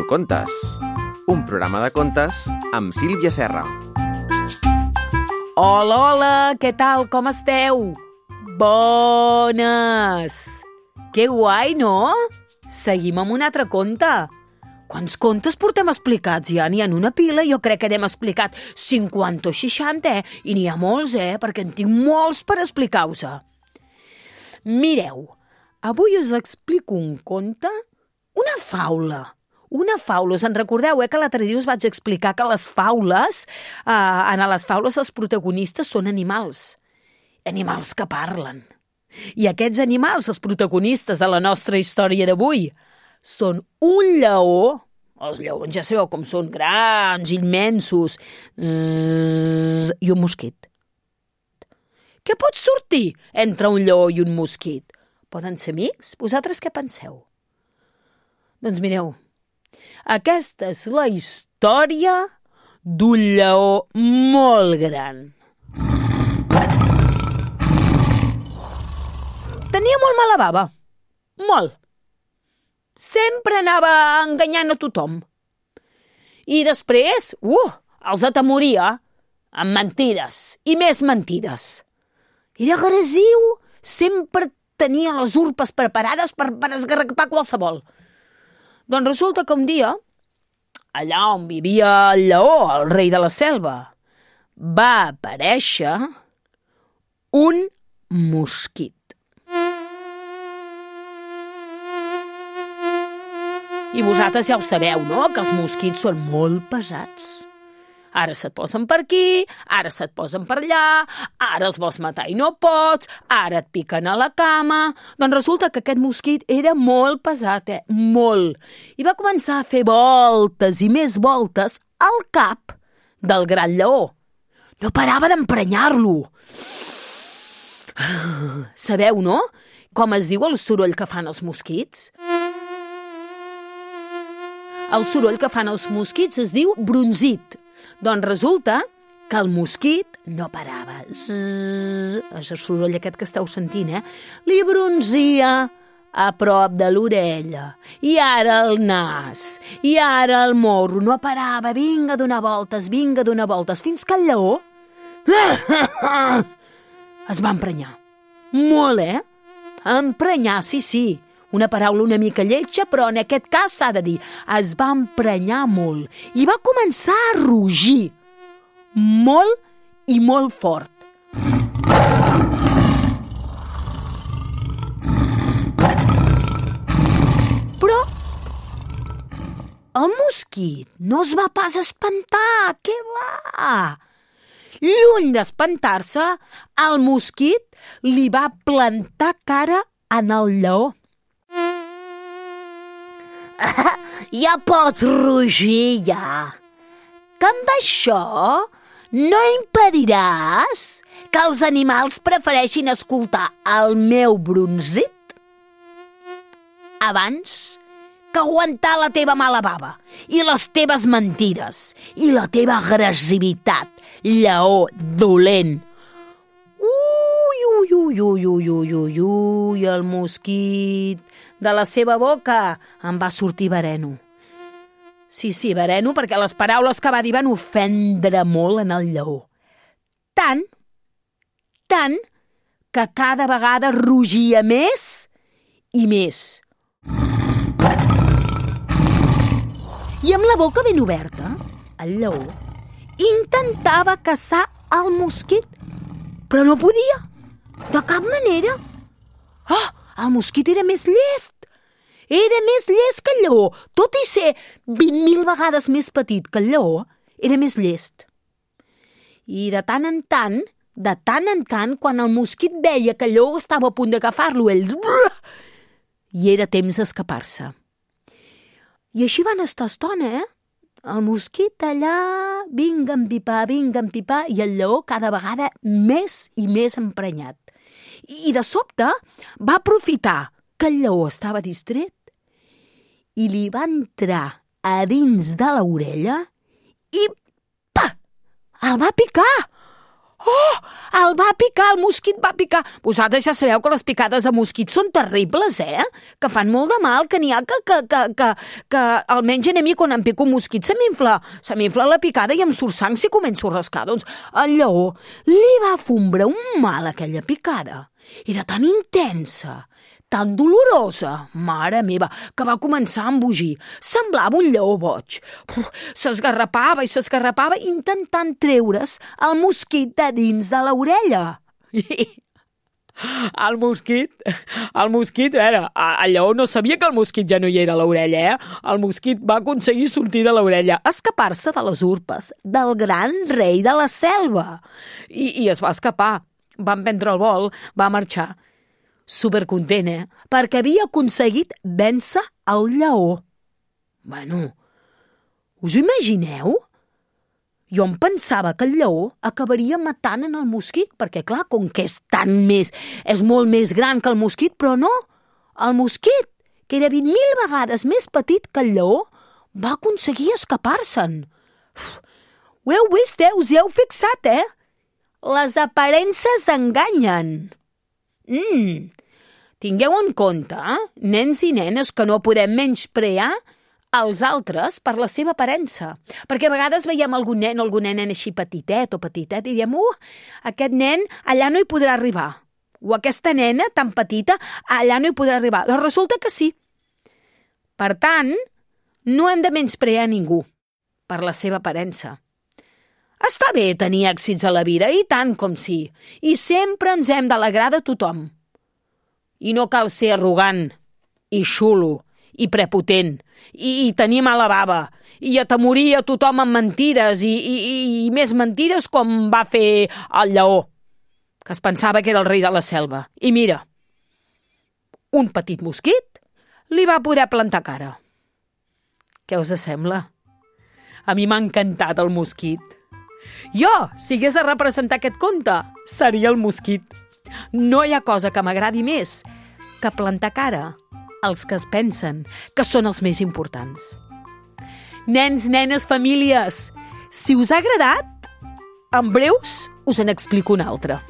Contes, un programa de contes amb Sílvia Serra. Hola, hola, què tal? Com esteu? Bones! Que guai, no? Seguim amb un altre conte. Quants contes portem explicats ja? N'hi ha una pila, jo crec que n'hem explicat 50 o 60, I n'hi ha molts, perquè en tinc molts per explicar-vos. Mireu, avui us explico un conte, una faula. Una faula, us en recordeu, que l'altre dia us vaig explicar que les faules, en les faules els protagonistes són animals que parlen. I aquests animals, els protagonistes de la nostra història d'avui, són un lleó, els lleons ja sabeu com són, grans, immensos, i un mosquit. Què pot sortir entre un lleó i un mosquit? Poden ser amics? Vosaltres què penseu? Doncs mireu, aquesta és la història d'un lleó molt gran. Tenia molt mala bava. Molt. Sempre anava enganyant a tothom. I després, els atemoria amb mentides i més mentides. Era agressiu, sempre tenia les urpes preparades per esgarrapar qualsevol. Doncs resulta que un dia, allà on vivia el lleó, el rei de la selva, va aparèixer un mosquit. I vosaltres ja ho sabeu, no?, que els mosquits són molt pesats. Ara se't posen per aquí, ara se't posen per allà, ara els vols matar i no pots, ara et piquen a la cama. Doncs resulta que aquest mosquit era molt pesat, molt. I va començar a fer voltes i més voltes al cap del gran lleó. No parava d'emprenyar-lo. Sabeu, no?, com es diu el soroll que fan els mosquits? El soroll que fan els mosquits es diu brunzit. Doncs resulta que el mosquit no parava. És el soroll aquest que esteu sentint, Li brunzia a prop de l'orella, i ara el nas, i ara el morro. No parava, vinga a donar voltes, fins que el lleó es va emprenyar. Molt, Emprenyar, sí. Una paraula una mica lletja, però en aquest cas s'ha de dir, es va emprenyar molt i va començar a rugir molt i molt fort. Però el mosquit no es va pas espantar, què va? Lluny d'espantar-se, el mosquit li va plantar cara en el lleó. Ja pots rugir, ja. Que amb això no impediràs que els animals prefereixin escoltar el meu brunzit abans que aguantar la teva mala bava i les teves mentides i la teva agressivitat, lleó dolent. El mosquit, de la seva boca en va sortir veneno. Sí, veneno, perquè les paraules que va dir van ofendre molt en el lleó. Tant, que cada vegada rugia més i més. I amb la boca ben oberta, el lleó intentava caçar el mosquit, però no podia, de cap manera. El mosquit era més llest. Era més llest que el lleó. Tot i ser 20.000 vegades més petit que el lleó, era més llest. I de tant en tant, quan el mosquit veia que el lleó estava a punt d'agafar-lo, ell... I era temps d'escapar-se. I així van estar estona, El mosquit allà, vinga a empipar, i el lleó cada vegada més i més emprenyat. I de sobte va aprofitar que el lleó estava distret i li va entrar a dins de l'orella i el va picar. Oh, el va picar, el mosquit va picar. Vosaltres ja sabeu que les picades de mosquit són terribles, que fan molt de mal, que n'hi ha que almenys a mi quan em pico un mosquit se m'infla la picada i em surt sang si començo a rascar. Doncs el lleó li va fombrar un mal aquella picada. Era tan intensa, tan dolorosa, mare meva, que va començar a embogir. Semblava un lleó boig. S'esgarrapava i s'esgarrapava intentant treure's el mosquit de dins de l'orella. El mosquit, el lleó no sabia que el mosquit ja no hi era a l'orella, El mosquit va aconseguir sortir de l'orella, escapar-se de les urpes del gran rei de la selva. I es va escapar. Va emprendre el vol, va marxar. Supercontent, perquè havia aconseguit vèncer el lleó. Bueno, us ho imagineu? Jo em pensava que el lleó acabaria matant en el mosquit, perquè clar, com que és molt més gran que el mosquit, però no, el mosquit, que era 20.000 vegades més petit que el lleó, va aconseguir escapar-se'n. Ho heu vist, us hi heu fixat, Les aparences enganyen. Tingueu en compte, nens i nenes, que no podem menysprear els altres per la seva aparença. Perquè a vegades veiem algun nen o alguna nena així petitet i diem, aquest nen allà no hi podrà arribar. O aquesta nena tan petita allà no hi podrà arribar. Doncs resulta que sí. Per tant, no hem de menysprear ningú per la seva aparença. Està bé tenir èxits a la vida, i tant com sí. I sempre ens hem d'alegrar de tothom. I no cal ser arrogant, i xulo, i prepotent, i tenir mala bava, i atemorir a tothom amb mentides, i més mentides com va fer el lleó, que es pensava que era el rei de la selva. I mira, un petit mosquit li va poder plantar cara. Què us sembla? A mi m'ha encantat el mosquit. Jo, si hagués de representar aquest conte, seria el mosquit. No hi ha cosa que m'agradi més que plantar cara als que es pensen que són els més importants. Nens, nenes, famílies, si us ha agradat, en breus us en explico un altre.